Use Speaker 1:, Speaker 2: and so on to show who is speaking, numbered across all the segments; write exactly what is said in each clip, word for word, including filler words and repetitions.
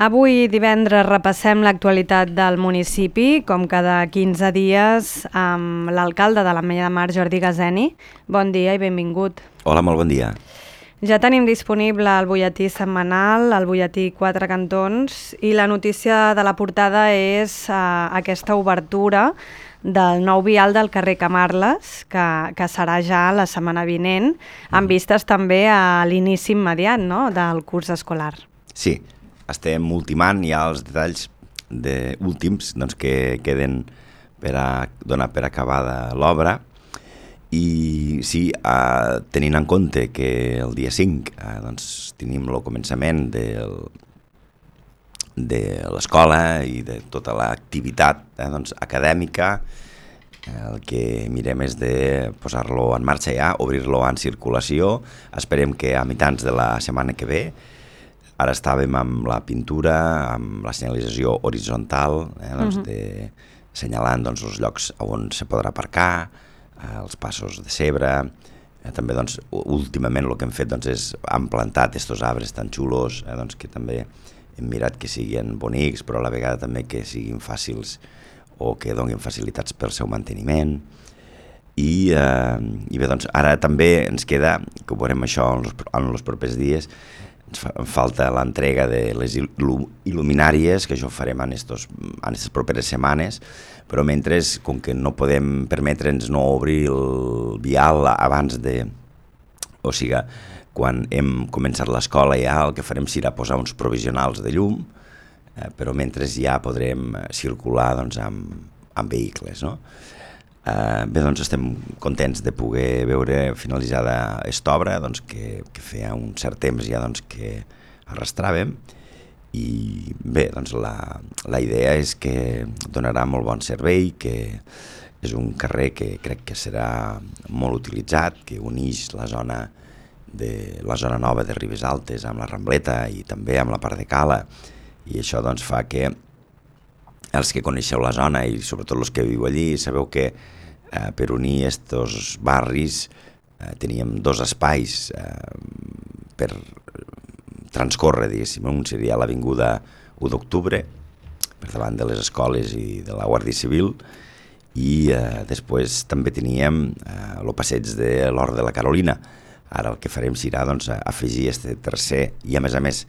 Speaker 1: Avui divendres repassem l'actualitat del municipi, com cada quinze dies, amb l'alcalde de l'Ametlla de Mar, Jordi Gazeni. Bon dia i benvingut.
Speaker 2: Hola, molt bon dia.
Speaker 1: Ja tenim disponible el butlletí setmanal, el butlletí Quatre Cantons, i la notícia de la portada és uh, aquesta obertura del nou vial del carrer Camarles, que, que serà ja la setmana vinent, amb vistes també a l'inici immediat, no?, del curs escolar.
Speaker 2: Sí, estem ultimant ja els detalls de, últims doncs, que queden per a donar per acabada l'obra. I sí, eh, tenint en compte que el dia cinc eh, doncs, tenim el començament del, de l'escola i de tota l'activitat eh, doncs, acadèmica, eh, el que mirem és de posar-lo en marxa ja, obrir-lo en circulació. Esperem que a mitjans de la setmana que ve. Ara estàvem amb la pintura, amb la senyalització horitzontal, eh, doncs, uh-huh. de, assenyalant doncs, els llocs on se podrà aparcar, els passos de cebre. Eh, també doncs, últimament el que hem fet doncs, és hem plantat estos arbres tan xulos, eh, doncs, que també hem mirat que siguin bonics, però a la vegada també que siguin fàcils o que donin facilitats pel seu manteniment. I, eh, i bé, doncs, ara també ens queda, que ho veurem això en els, en els propers dies, ens fa, falta l'entrega de les il·luminàries, que això ho farem en aquestes en estes properes setmanes, però mentre, com que no podem permetre'ns no obrir el vial abans de... O sigui, quan hem començat l'escola ja el que farem serà posar uns provisionals de llum, eh, però mentre ja podrem circular doncs, amb, amb vehicles, no? Eh, bé, doncs estem contents de poder veure finalitzada aquesta obra, doncs, que, que feia un cert temps ja doncs, que arrastràvem. I bé, doncs la, la idea és que donarà molt bon servei, que és un carrer que crec que serà molt utilitzat, que uneix la zona, de, la zona nova de Ribes Altes amb la Rambleta i també amb la part de Cala, i això doncs, fa que els que coneixeu la zona i sobretot els que viu allí sabeu que eh, per unir estos barris eh, teníem dos espais eh, per transcorre, diguéssim. Un seria l'avinguda u d'octubre, per davant de les escoles i de la Guàrdia Civil, i eh, després també teníem eh, el passeig de l'Hort de la Carolina. Ara el que farem serà doncs, afegir este tercer i, a més a més,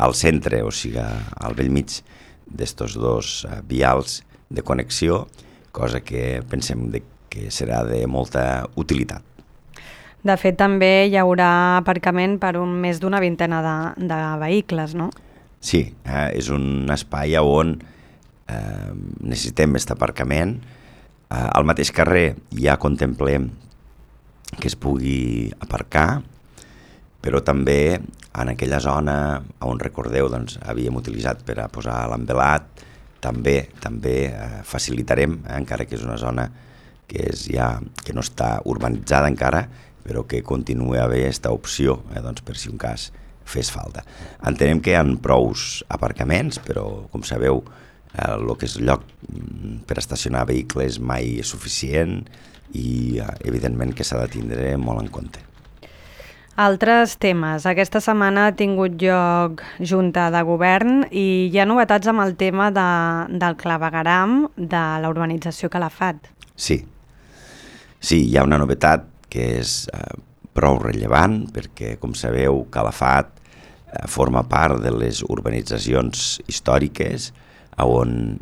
Speaker 2: al centre, o sigui, al bell mig d'estos dos eh, vials de connexió, cosa que pensem de, que serà de molta utilitat.
Speaker 1: De fet, també hi haurà aparcament per un, més d'una vintena de, de vehicles, no?
Speaker 2: Sí, eh, és un espai on eh, necessitem aquest aparcament. Eh, al mateix carrer ja contemplem que es pugui aparcar, però també en aquella zona on, recordeu, doncs, havíem utilitzat per a posar l'envelat, també també eh, facilitarem, eh, encara que és una zona que, és ja, que no està urbanitzada encara, però que continua a haver aquesta opció, eh, doncs, per si un cas fes falta. Entenem que hi ha prous aparcaments, però, com sabeu, eh, el que és el lloc per estacionar vehicles mai és suficient i, eh, evidentment, que s'ha de tindre molt en compte.
Speaker 1: Altres temes. Aquesta setmana ha tingut lloc Junta de Govern i hi ha novetats amb el tema de, del clavegueram de la urbanització Calafat.
Speaker 2: Sí, sí, hi ha una novetat que és eh, prou rellevant, perquè, com sabeu, Calafat eh, forma part de les urbanitzacions històriques, on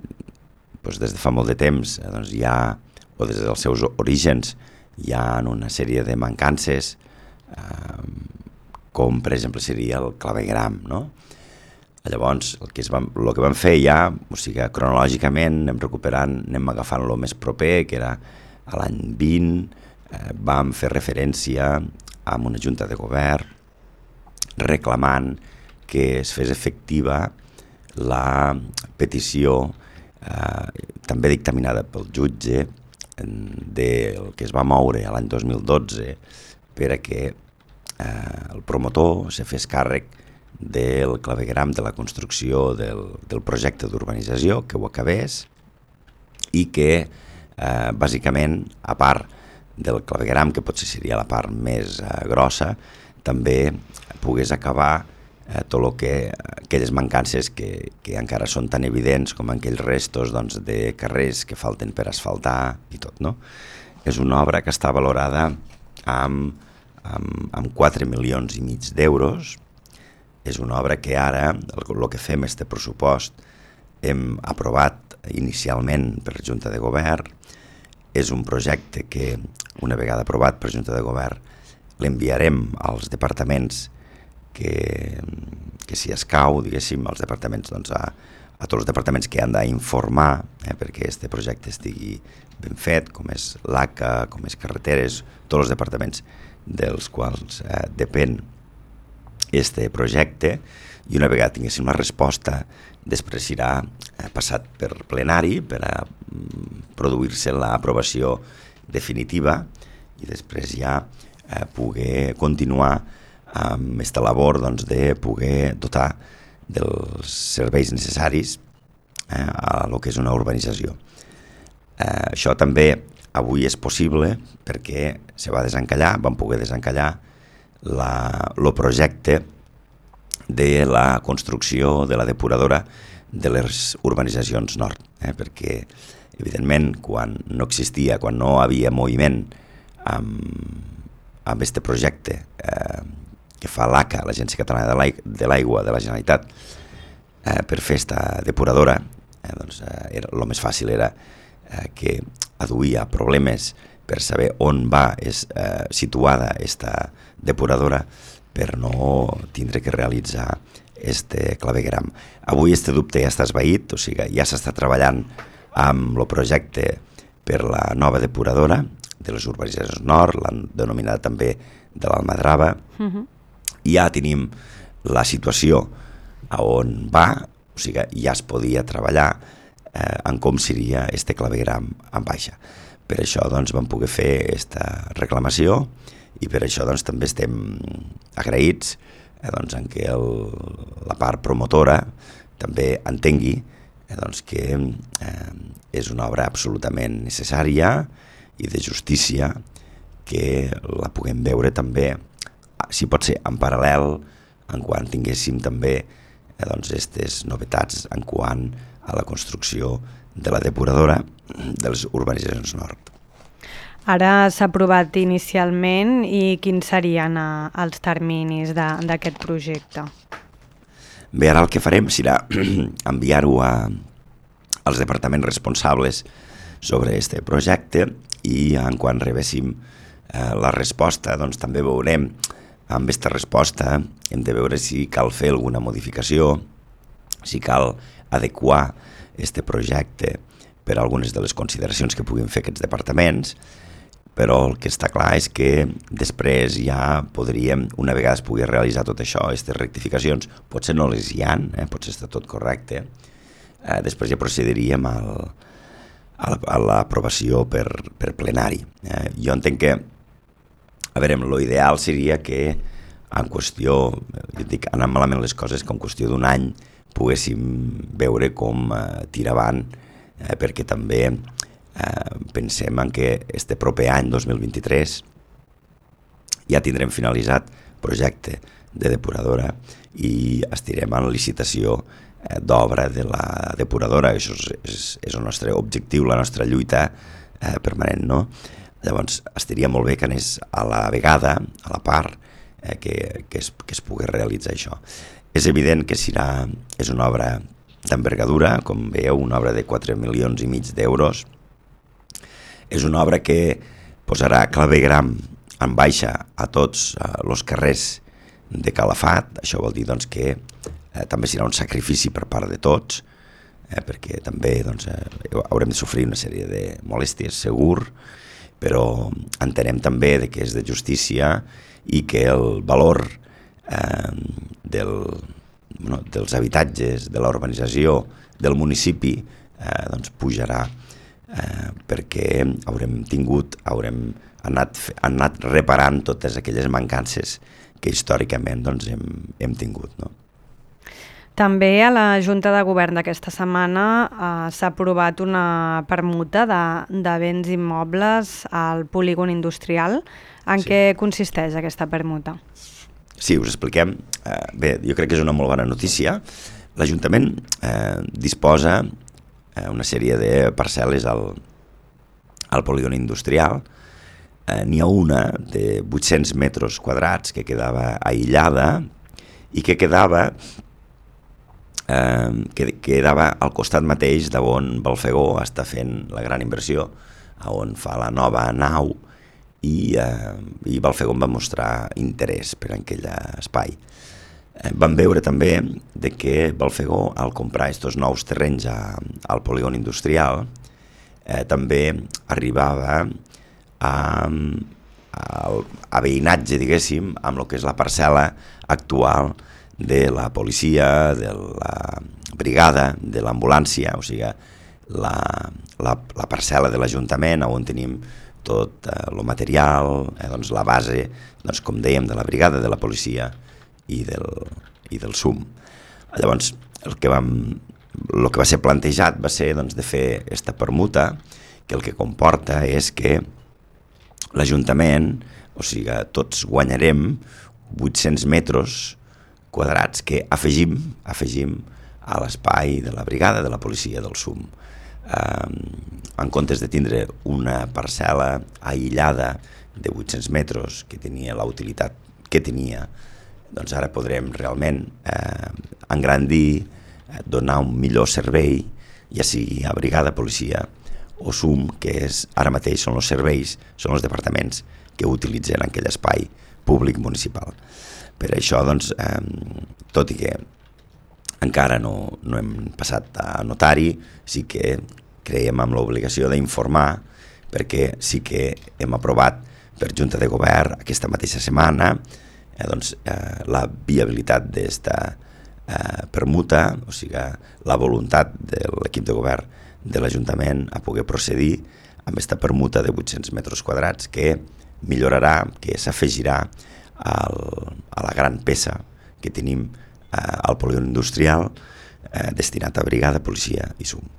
Speaker 2: doncs, des de fa molt de temps eh, doncs, hi ha, o des dels seus orígens, hi ha una sèrie de mancances, eh, com per exemple seria el clavegueram, no? Llavors, el que, es va, el que vam fer ja, o sigui, cronològicament anem recuperant, anem agafant lo més proper, que era a l'any vint, eh, vam fer referència a una junta de govern reclamant que es fes efectiva la petició eh, també dictaminada pel jutge del que es va moure l'any dos mil dotze per a que eh, el promotor se fes càrrec del clavegueram de la construcció del, del projecte d'urbanització, que ho acabés, i que eh, bàsicament, a part del clavegueram, que potser seria la part més eh, grossa, també pogués acabar eh, tot el que, aquelles mancances que, que encara són tan evidents com aquells restos doncs, de carrers que falten per asfaltar i tot, no? És una obra que està valorada amb, amb, amb quatre milions i mig d'euros. És una obra que ara, el, el que fem este pressupost, hem aprovat inicialment per Junta de Govern. És un projecte que, una vegada aprovat per Junta de Govern, l'enviarem als departaments que, que si escau, diguéssim, als departaments, doncs a, a tots els departaments que han d'informar eh, perquè aquest projecte estigui ben fet, com és l'A C A, com és carreteres, tots els departaments dels quals eh, depèn este projecte, i una vegada tinguéssim la resposta, després serà eh, passat per plenari per a mm, produir-se l'aprovació definitiva i després ja eh, poder continuar amb aquesta labor doncs, de poder dotar dels serveis necessaris eh, a lo que és una urbanització. Eh, això també avui és possible perquè se va desencallar, vam poder desencallar el projecte de la construcció de la depuradora de les urbanitzacions nord, eh? perquè evidentment quan no existia, quan no havia moviment amb aquest projecte eh, que fa l'A C A, l'Agència Catalana de l'Aigua de la Generalitat, eh, per fer aquesta depuradora, eh, doncs, eh, era, el més fàcil era eh, que aduïa problemes per saber on va és, eh, situada aquesta depuradora per no tindre que realitzar este clavegueram. Avui este dubte ja està esvaït, o sigui, ja s'està treballant amb el projecte per la nova depuradora de les urbanitzacions nord, l'han denominada també de l'Almadrava, uh-huh. Ja tenim la situació a on va, o sigui, ja es podia treballar eh, en com seria este clavegueram en baixa. Per això doncs, vam poder fer aquesta reclamació i per això doncs, també estem agraïts eh, doncs, en què el, la part promotora també entengui eh, doncs, que eh, és una obra absolutament necessària i de justícia que la puguem veure també, si pot ser en paral·lel, en quan tinguéssim també eh, doncs, aquestes novetats en quant a la construcció de la depuradora de les urbanitzacions nord.
Speaker 1: Ara s'ha aprovat inicialment i quins serien eh, els terminis d'aquest projecte?
Speaker 2: Bé, ara el que farem serà enviar-ho als departaments responsables sobre aquest projecte i en quan rebéssim eh, la resposta doncs també veurem amb aquesta resposta hem de veure si cal fer alguna modificació, si cal adequar aquest projecte per a algunes de les consideracions que puguin fer aquests departaments, però el que està clar és que després ja podríem, una vegada es pugui realitzar tot això, aquestes rectificacions, potser no les hi ha, eh, potser està tot correcte, eh, després ja procediríem al, a l'aprovació per, per plenari. Eh, jo entenc que a veure, l'ideal seria que en qüestió, jo dic, anant malament les coses, que en qüestió d'un any poguéssim veure com eh, tira avant, eh, perquè també eh, pensem en que este proper any, dos mil vint-i-tres, ja tindrem finalitzat projecte de depuradora i estirem en licitació eh, d'obra de la depuradora. Això és, és, és el nostre objectiu, la nostra lluita eh, permanent, no? Llavors, estaria molt bé que anés a la vegada, a la part, eh, que, que, es, que es pugui realitzar això. És evident que serà, és una obra d'envergadura, com veieu, una obra de quatre milions i mig d'euros. És una obra que posarà clavegueram en baixa a tots els eh, carrers de Calafat. Això vol dir doncs, que eh, també serà un sacrifici per part de tots, eh, perquè també doncs, eh, haurem de sofrir una sèrie de molèsties, segur, però entenem també que és de justícia i que el valor eh, del, bueno, dels habitatges, de la urbanització, del municipi, eh, doncs pujarà eh, perquè haurem tingut, haurem anat, anat reparant totes aquelles mancances que històricament doncs, hem, hem tingut, no?
Speaker 1: També a la Junta de Govern d'aquesta setmana eh, s'ha aprovat una permuta de, de béns immobles al polígon industrial. En sí. Què consisteix aquesta permuta?
Speaker 2: sí, us expliquem. Eh, bé, jo crec que és una molt bona notícia. L'Ajuntament eh, disposa eh, una sèrie de parcel·les al, al polígon industrial. Eh, n'hi ha una de vuit-cents metres quadrats que quedava aïllada i que quedava eh, que quedava al costat mateix d'on Balfegó està fent la gran inversió, on fa la nova nau, i, eh, i Balfegó va mostrar interès per aquell espai. Eh, vam veure també de que Balfegó, al comprar aquests nous terrenys a, al polígon industrial, eh, també arribava a, a, a veïnatge, diguéssim, amb el que és la parcel·la actual de la policia, de la brigada, de l'ambulància, o sigui, la, la, la parcel·la de l'Ajuntament, on tenim tot el eh, material, eh, doncs la base, doncs, com dèiem, de la brigada, de la policia i del, i del S U M. Llavors, el que, vam, el que va ser plantejat va ser doncs, de fer aquesta permuta, que el que comporta és que l'Ajuntament, o sigui, tots guanyarem vuit-cents metres quadrats que afegim, afegim a l'espai de la brigada, de la policia, del S U M. Eh, en comptes de tindre una parcel·la aïllada de vuit-cents metres que tenia la utilitat que tenia, doncs ara podrem realment eh, engrandir, eh, donar un millor servei, ja sigui a brigada, policia o S U M, que és, ara mateix són els serveis, són els departaments que utilitzen aquell espai públic municipal. Per això, doncs, eh, tot i que encara no, no hem passat a notari, sí que creiem amb l'obligació d'informar, perquè sí que hem aprovat per Junta de Govern aquesta mateixa setmana eh, doncs, eh, la viabilitat d'esta eh, permuta, o sigui, la voluntat de l'equip de govern de l'Ajuntament a poder procedir amb aquesta permuta de vuit-cents metres quadrats que millorarà, que s'afegirà al, a la gran peça que tenim eh, al polígon industrial eh, destinat a brigada, policia i S U M.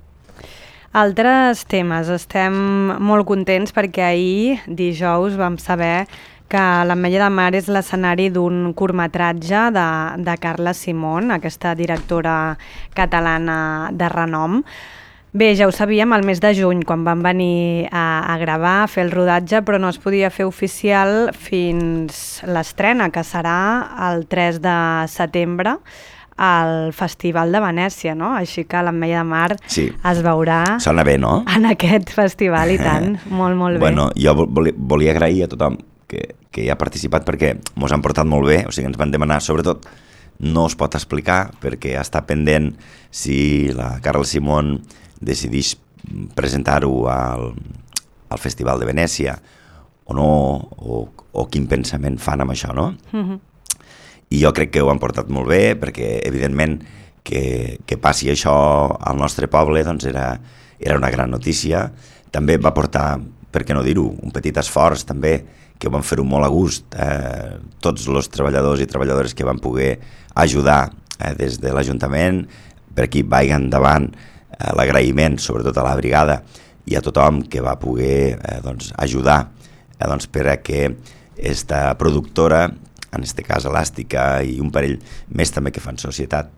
Speaker 1: Altres temes. Estem molt contents perquè ahir, dijous, vam saber que l'Ametlla de Mar és l'escenari d'un curtmetratge de, de Carla Simón, aquesta directora catalana de renom. Bé, ja ho sabíem el mes de juny, quan vam venir a, a gravar, a fer el rodatge, però no es podia fer oficial fins l'estrena, que serà el tres de setembre, al Festival de Venècia, no? Així que l'Ametlla de Mar sí. es veurà
Speaker 2: Sona bé, no?
Speaker 1: en aquest festival, i tant, molt, molt bé.
Speaker 2: Bueno, jo volia, volia agrair a tothom que, que hi ha participat perquè mos han portat molt bé, o sigui, ens van demanar, sobretot, no es pot explicar perquè està pendent si la Carla Simón decideix presentar-ho al, al Festival de Venècia o no, o, o quin pensament fan amb això, no? Mm-hmm. I jo crec que ho han portat molt bé, perquè evidentment que, que passi això al nostre poble doncs era, era una gran notícia. També va portar, per què no dir-ho, un petit esforç també, que van fer-ho molt a gust, eh, tots els treballadors i treballadores que van poder ajudar eh, des de l'Ajuntament, per aquí vagi endavant eh, l'agraïment sobretot a la brigada i a tothom que va poder eh, doncs, ajudar eh, doncs, per a que esta productora, en aquest cas Elàstica i un parell més també que fan societat,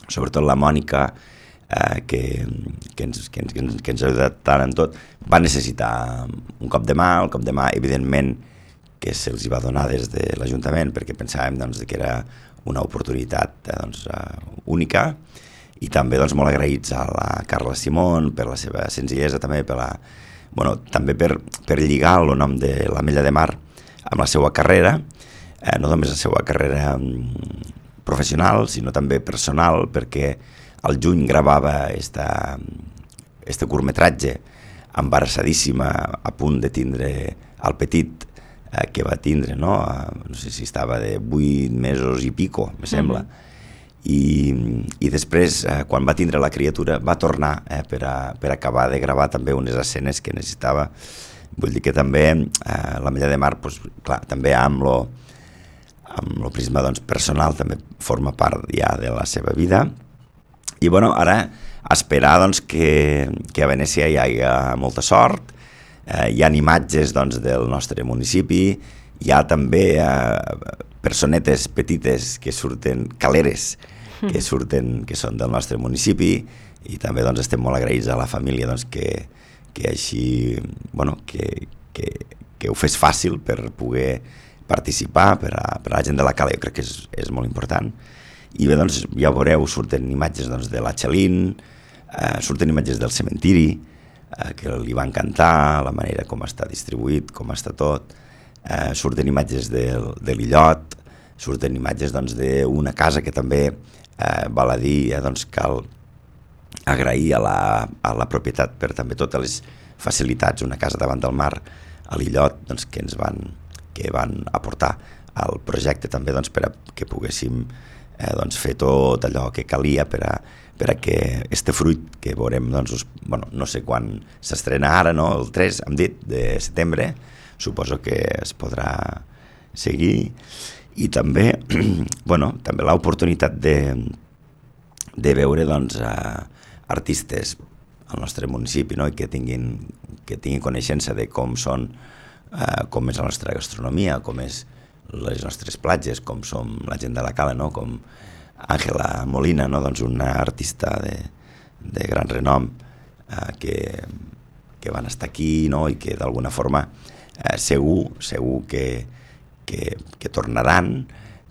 Speaker 2: sobretot la Mònica, eh, que, que, ens, que, ens, que ens ha ajudat tant en tot, va necessitar un cop de mà, el cop de mà evidentment que se'ls va donar des de l'Ajuntament perquè pensàvem doncs, que era una oportunitat eh, doncs, uh, única, i també doncs, molt agraïts a la Carla Simón per la seva senzillesa, també per la, bueno, també per, per lligar el nom de l'Ametlla de Mar amb la seva carrera, eh, no només la seva carrera mm, professional, sinó també personal, perquè al juny gravava esta, este curtmetratge embarassadíssima, a punt de tindre el petit eh, que va tindre, no? Eh, no sé si estava de vuit mesos i pico, me sembla. Mm-hmm. I, i després, eh, quan va tindre la criatura, va tornar eh, per, a, per acabar de gravar també unes escenes que necessitava. Vull dir que també eh, l'Ametlla de Mar, pues, clar, també amb lo, amb lo prisma doncs, personal, també forma part ja de la seva vida. I bueno, ara esperar doncs, que, que a Venècia hi hagi molta sort, eh, hi ha imatges doncs, del nostre municipi, hi ha també, eh, personetes petites que surten, caleres, que surten, que són del nostre municipi, i també doncs, estem molt agraïts a la família doncs, que, que així, bueno, que, que, que ho fes fàcil per poder participar per a, per a la gent de la cala, jo crec que és, és molt important. I bé, doncs, ja veureu, surten imatges doncs, de la Xalín, eh, surten imatges del cementiri, eh, que li va encantar, la manera com està distribuït, com està tot, eh, surten imatges del, de l'illot, surten imatges doncs, d'una casa que també, eh, val a dir, eh, doncs, cal agrair a la, a la propietat per també totes les facilitats, una casa davant del mar, a l'illot, doncs, que ens van, que van aportar al projecte també doncs, per a que poguéssim eh, doncs, fer tot allò que calia per a, per a que este fruit que veurem, doncs, us, bueno, no sé quan s'estrena ara, no? El tres, hem dit, de setembre, suposo que es podrà seguir, i també, bueno, també l'oportunitat de, de veure doncs, a artistes al nostre municipi, no? I que tinguin, que tinguin coneixença de com són, eh, com és la nostra gastronomia, com és les nostres platges, com som la gent de la cala, no? Com Àngela Molina, no? Doncs una artista de, de gran renom eh, que, que van estar aquí, no? I que d'alguna forma eh, segur, segur que, que, que tornaran,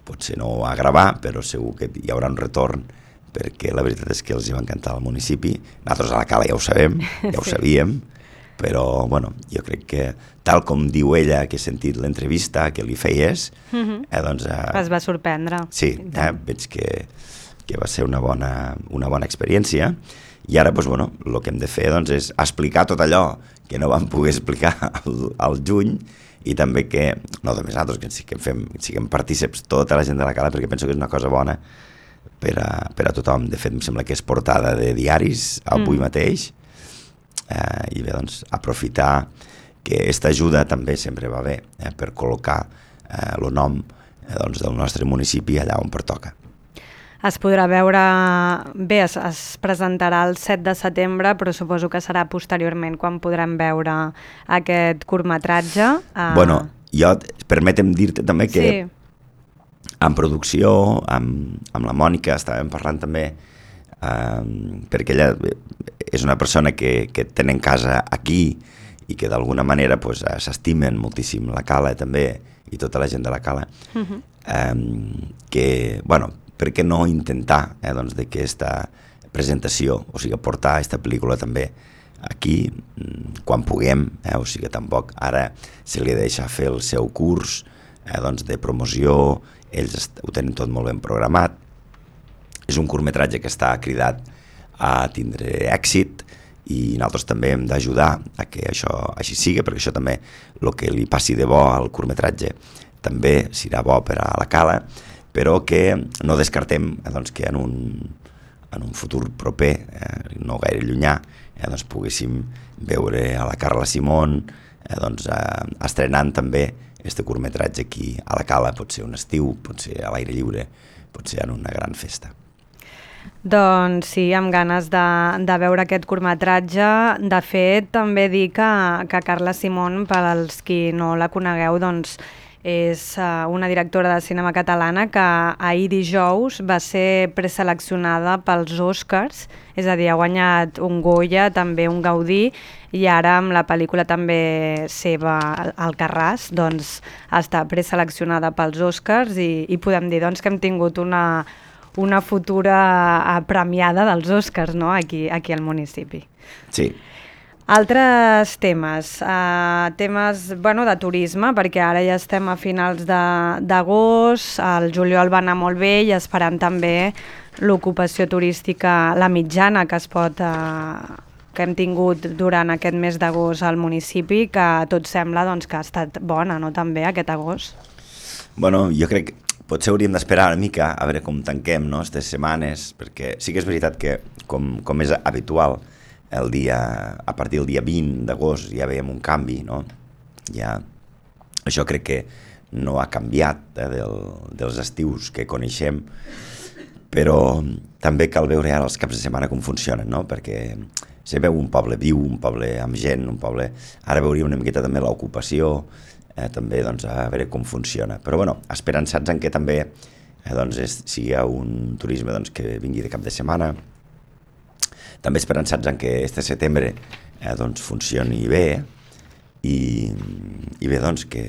Speaker 2: potser no a gravar, però segur que hi haurà un retorn, perquè la veritat és que els hi va encantar el municipi. Nosaltres a la cala ja ho sabem, ja ho sabíem, però bueno, jo crec que tal com diu ella, que he sentit l'entrevista que li feies,
Speaker 1: mm-hmm.
Speaker 2: eh, doncs... Eh,
Speaker 1: es va sorprendre.
Speaker 2: Sí, eh, veig que, que va ser una bona, una bona experiència, i ara doncs, bueno, el que hem de fer doncs, és explicar tot allò que no vam poder explicar al, al juny, i també que, no només nosaltres, que siguem, fem, siguem partíceps tota la gent de la cala, perquè penso que és una cosa bona per a, per a tothom. De fet, em sembla que és portada de diaris avui mm. mateix, eh, i bé, doncs, aprofitar que aquesta ajuda també sempre va bé, eh, per col·locar eh, el nom eh, doncs, del nostre municipi allà on pertoca.
Speaker 1: Es podrà veure, bé, es, es presentarà el set de setembre, però suposo que serà posteriorment quan podrem veure aquest curtmetratge. Eh...
Speaker 2: Bueno, jo, permetem dir-te també que
Speaker 1: sí.
Speaker 2: En producció, amb, amb la Mònica, estàvem parlant també, eh, perquè ella és una persona que, que tenen casa aquí i que d'alguna manera pues, s'estimen moltíssim la cala també i tota la gent de la cala, uh-huh. eh, que, bueno, per què no intentar eh, doncs, de que aquesta presentació, o sigui, portar aquesta pel·lícula també aquí, quan puguem, eh, o sigui, tampoc ara se li deixa fer el seu curs eh, doncs, de promoció, ells ho tenen tot molt ben programat. És un curtmetratge que està cridat a tindre èxit i nosaltres també hem d'ajudar a que això així sigui, perquè això també, el que li passi de bo al curtmetratge també serà bo per a la cala, però que no descartem eh, doncs, que en un, en un futur proper, eh, no gaire llunyà, eh, doncs, poguéssim veure a la Carla Simón eh, doncs, eh, estrenant també este curtmetratge aquí a la cala, pot ser un estiu, pot ser a l'aire lliure, pot ser en una gran festa.
Speaker 1: Doncs sí, amb ganes de, de veure aquest curtmetratge. De fet, també dir que, que Carla Simón, per als qui no la conegueu, doncs és uh, una directora de cinema catalana que ahir dijous va ser preseleccionada pels Oscars, és a dir, ha guanyat un Goya, també un Gaudí, i ara amb la pel·lícula també seva, Alcarràs, doncs està preseleccionada pels Oscars i, i podem dir doncs, que hem tingut una, una futura premiada dels Oscars, no? aquí, aquí al municipi.
Speaker 2: Sí.
Speaker 1: Altres temes, uh, temes bueno, de turisme, perquè ara ja estem a finals d'agost, el juliol va anar molt bé i esperant també l'ocupació turística, la mitjana que es pot, uh, que hem tingut durant aquest mes d'agost al municipi, que tot sembla doncs, que ha estat bona, no? També aquest agost.
Speaker 2: Bueno, jo crec que potser hauríem d'esperar una mica a veure com tanquem, no?, aquestes setmanes, perquè sí que és veritat que, com, com és habitual, el dia, a partir del dia vint d'agost ja veiem un canvi, no? Ja, això crec que no ha canviat eh, del, dels estius que coneixem, però també cal veure ara els caps de setmana com funcionen, no? Perquè se veu un poble viu, un poble amb gent, un poble... Ara veuríem una miqueta també l'ocupació, eh, també doncs, a veure com funciona. Però bueno, esperançats en que també eh, doncs, és, sigui un turisme doncs, que vingui de cap de setmana, també esperançats en que este setembre eh, doncs, funcioni bé i, i bé doncs que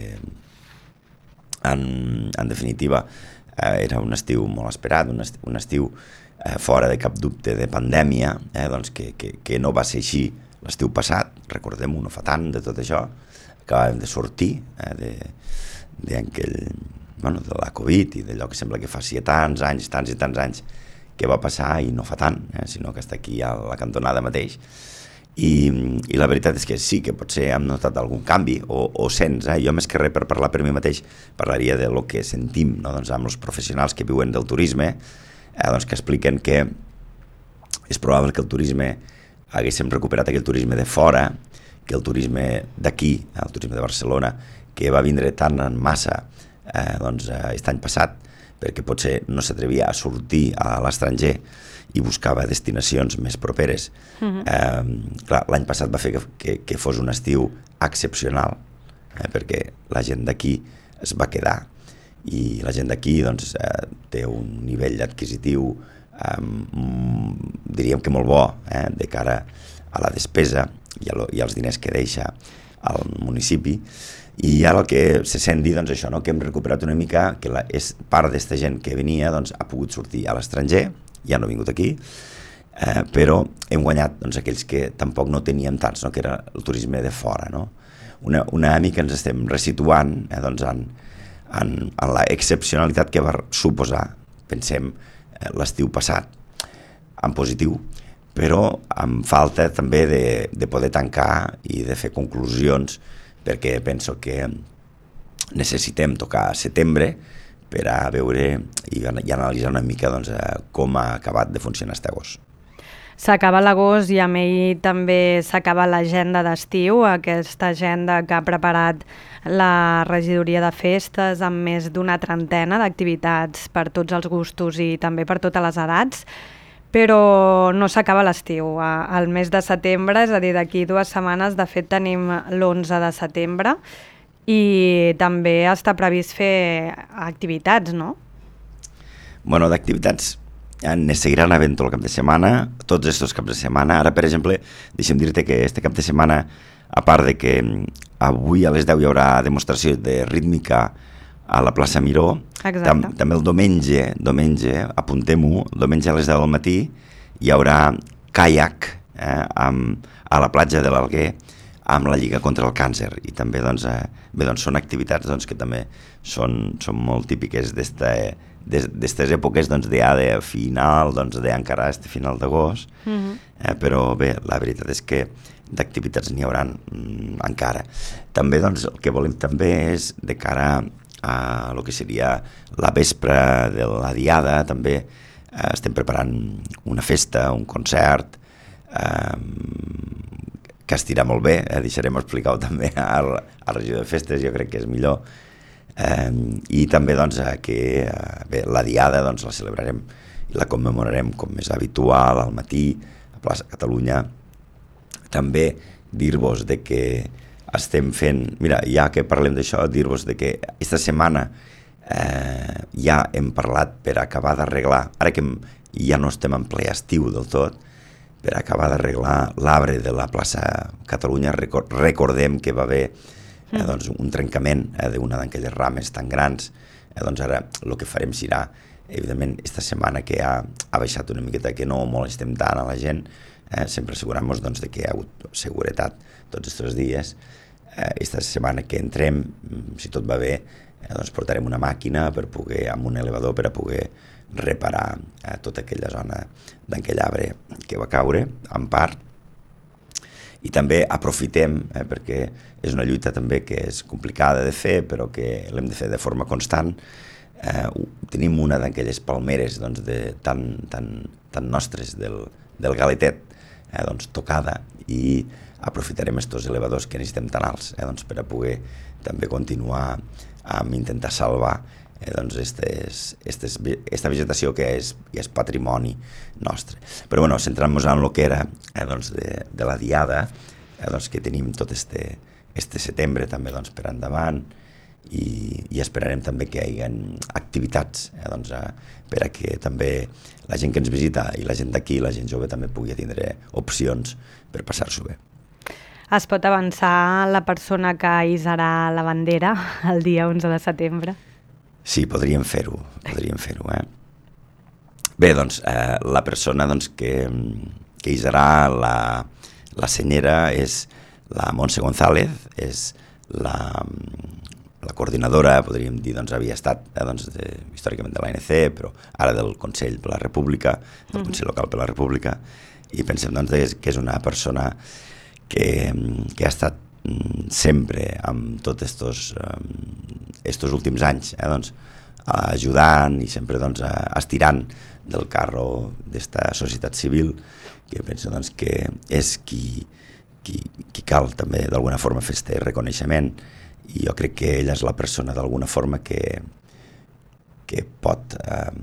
Speaker 2: en, en definitiva eh, era un estiu molt esperat, un estiu, un estiu eh, fora de cap dubte de pandèmia, eh, doncs que, que, que no va ser així l'estiu passat, recordem-ho, no fa tant de tot això, acabàvem de sortir eh, de, de, aquell, bueno, de la Covid i d'allò que sembla que faci tants anys, tants i tants anys que va passar i no fa tant, eh, sinó que està aquí a la cantonada mateix. I, i la veritat és que sí que potser hem notat algun canvi o, o sents, eh? Jo més que res per parlar per mi mateix parlaria de lo que sentim, no? Doncs amb els professionals que viuen del turisme, eh, doncs que expliquen que és probable que el turisme haguéssim recuperat aquell turisme de fora, que el turisme d'aquí, el turisme de Barcelona, que va vindre tant en massa eh, doncs, aquest any passat, perquè potser no s'atrevia a sortir a l'estranger i buscava destinacions més properes. Uh-huh. eh, clar, l'any passat va fer que, que, que fos un estiu excepcional, eh, perquè la gent d'aquí es va quedar i la gent d'aquí doncs, eh, té un nivell adquisitiu eh, diríem que molt bo eh, de cara a la despesa i, a lo, i als diners que deixa al municipi. I ara el que se sent dir, doncs això, no? Que hem recuperat una mica, que la, és part d'esta gent que venia doncs, ha pogut sortir a l'estranger, ja no ha vingut aquí, eh, però hem guanyat doncs, aquells que tampoc no teníem tants, no? Que era el turisme de fora. No? Una, una mica ens estem resituant eh, doncs, en, en, en la excepcionalitat que va suposar, pensem, eh, l'estiu passat, en positiu, però amb falta també de, de poder tancar i de fer conclusions, perquè penso que necessitem tocar a setembre per a veure i, i analitzar una mica doncs, com ha acabat de funcionar este agost.
Speaker 1: S'acaba l'agost i amb ell també s'acaba l'agenda d'estiu, aquesta agenda que ha preparat la regidoria de festes amb més d'una trentena d'activitats per tots els gustos i també per totes les edats, però no s'acaba l'estiu. Al mes de setembre, és a dir, d'aquí dues setmanes, de fet tenim l'onze de setembre i també està previst fer activitats, no?
Speaker 2: Bueno, d'activitats ne seguiran havent tot el cap de setmana, tots estos caps de setmana. Ara, per exemple, deixa'm dir-te que este cap de setmana, a part de que avui a les deu hi haurà demostració de rítmica a la plaça Miró, tam, també el diumenge, diumenge apuntem-ho, diumenge a les deu del matí hi haurà caiac eh, amb, a la platja de l'Alguer amb la Lliga contra el Càncer i també doncs, eh, bé, doncs, són activitats doncs, que també són, són molt típiques d'aquestes èpoques doncs, de, de final, doncs, d'encara este final d'agost, uh-huh. eh, però bé, la veritat és que d'activitats n'hi haurà mm, encara. També doncs, el que volem també és de cara a el que seria la vespre de la diada, també eh, estem preparant una festa, un concert eh, que estirà molt bé, eh, deixarem explicar-ho també a la regió de festes, jo crec que és millor, eh, i també doncs, que eh, bé, la diada doncs, la celebrarem i la commemorarem com és habitual al matí a Plaça Catalunya. També dir-vos de que estem fent, mira, ja que parlem d'això, dir-vos de que aquesta setmana eh, ja hem parlat per acabar d'arreglar, ara que ja no estem en ple estiu del tot, per acabar d'arreglar l'arbre de la plaça Catalunya. Record, recordem que va haver eh, doncs, un trencament eh, d'una d'aquelles rames tan grans, eh, doncs ara el que farem serà, evidentment, aquesta setmana que ha, ha baixat una miqueta, que no molestem tant a la gent, eh, sempre assegurant-nos doncs, de que hi ha hagut seguretat tots aquests dies. Aquesta setmana que entrem, si tot va bé, eh, doncs portarem una màquina per poder, amb un elevador per a poder reparar eh, tota aquella zona d'aquell arbre que va caure, en part. I també aprofitem, eh, perquè és una lluita també que és complicada de fer, però que l'hem de fer de forma constant. Eh, tenim una d'aquelles palmeres doncs, de, tan, tan, tan nostres del, del Galetet, eh, doncs, tocada, i aprofitarem estos elevadors que necessitem tan alts eh, doncs, per a poder també continuar amb intentar salvar eh, doncs estes, estes, esta vegetació que és, que és patrimoni nostre. Però bueno, centrant-nos en el que era eh, doncs de, de la diada, eh, doncs que tenim tot este, este setembre també doncs, per endavant, i, i esperarem també que hi hagi activitats eh, doncs, eh, per a que també la gent que ens visita i la gent d'aquí, la gent jove, també pugui tindre opcions per passar-s'ho bé.
Speaker 1: Es pot avançar la persona que hissarà la bandera el dia onze de setembre?
Speaker 2: Sí, podríem fer-ho, podríem fer-ho, eh? Bé, doncs, eh, la persona doncs, que, que hissarà la, la senyera és la Montse González, és la, la coordinadora, podríem dir, doncs, havia estat eh, doncs, de, històricament de l'A N C, però ara del Consell per la República, del Consell Local per la República, i pensem doncs, que és una persona que, que ha estat sempre amb tots estos, estos últims anys eh, doncs, ajudant i sempre doncs, estirant del carro d'esta societat civil, que penso doncs, que és qui, qui, qui cal també d'alguna forma fer este reconeixement, i jo crec que ella és la persona d'alguna forma que, que pot eh,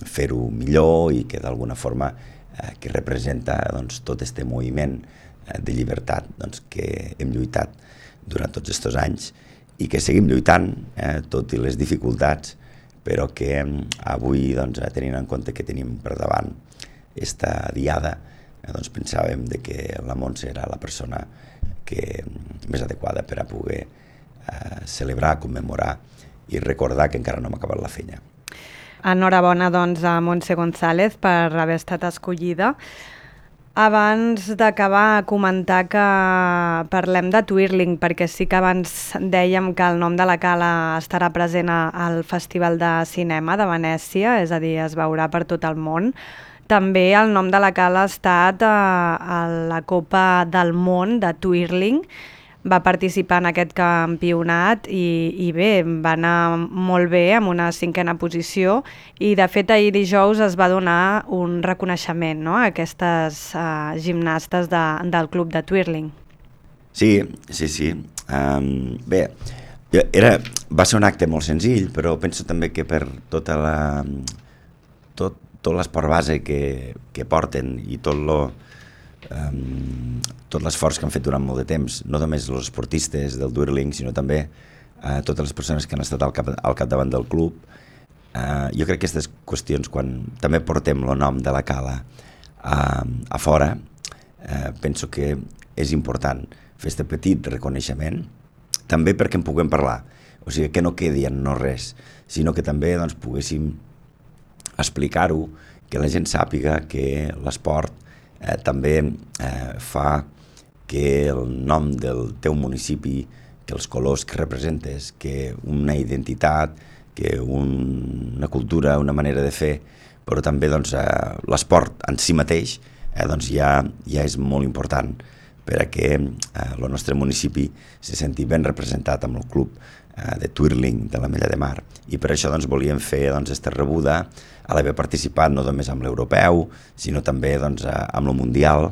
Speaker 2: fer-ho millor i que d'alguna forma eh, que representa doncs, tot este moviment eh, de llibertat doncs, que hem lluitat durant tots aquests anys i que seguim lluitant, eh, tot i les dificultats, però que eh, avui, doncs, tenint en compte que tenim per davant esta diada, eh, doncs pensàvem de que la Montse era la persona que, més adequada per a poder eh, celebrar, commemorar i recordar que encara no hem acabat la feina.
Speaker 1: Enhorabona, doncs, a Montse González per haver estat escollida. Abans d'acabar, comentar que parlem de Twirling, perquè sí que abans dèiem que el nom de la cala estarà present al Festival de Cinema de Venècia, és a dir, es veurà per tot el món. També el nom de la cala ha estat a, a la Copa del Món de Twirling, va participar en aquest campionat i, i bé, va anar molt bé amb una cinquena posició i de fet ahir dijous es va donar un reconeixement, no?, a aquestes uh, gimnastes de, del club de Twirling.
Speaker 2: Sí, sí, sí. Um, bé, era, va ser un acte molt senzill, però penso també que per tota la, tot, tot l'esport base que, que porten i tot lo Um, tot l'esforç que han fet durant molt de temps, no només els esportistes del Twirling, sinó també uh, totes les persones que han estat al, cap, al capdavant del club. Uh, jo crec que aquestes qüestions, quan també portem el nom de la cala uh, a fora, uh, penso que és important fer aquest petit reconeixement, també perquè en puguem parlar, o sigui, que no quedi en no res, sinó que també doncs, poguéssim explicar-ho, que la gent sàpiga que l'esport Eh, també eh, fa que el nom del teu municipi, que els colors que representes, que una identitat, que un, una cultura, una manera de fer, però també doncs, eh, l'esport en si mateix eh, doncs ja, ja és molt important per a que eh, el nostre municipi se senti ben representat amb el club eh, de Twirling de l'Ametlla de Mar. I per això doncs, volíem fer doncs, esta rebuda a l'haver participat no només amb l'europeu, sinó també doncs, amb el mundial,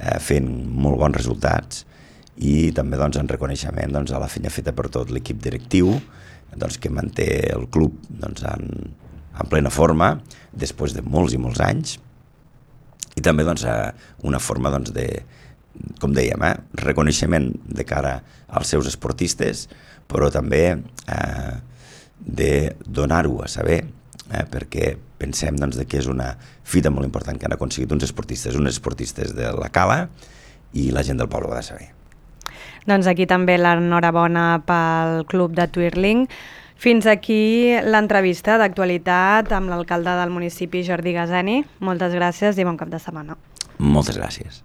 Speaker 2: eh, fent molt bons resultats i també doncs, en reconeixement doncs, a la feina feta per tot l'equip directiu doncs, que manté el club doncs, en, en plena forma després de molts i molts anys i també doncs, una forma doncs, de, com dèiem, eh, reconeixement de cara als seus esportistes, però també eh, de donar-ho a saber, eh, perquè pensem doncs, que és una fita molt important que han aconseguit uns esportistes, uns esportistes de la cala i la gent del poble ho ha de saber.
Speaker 1: Doncs aquí també l'enhorabona pel club de Twirling. Fins aquí l'entrevista d'actualitat amb l'alcalde del municipi, Jordi Gazeni. Moltes gràcies i bon cap de setmana.
Speaker 2: Moltes gràcies.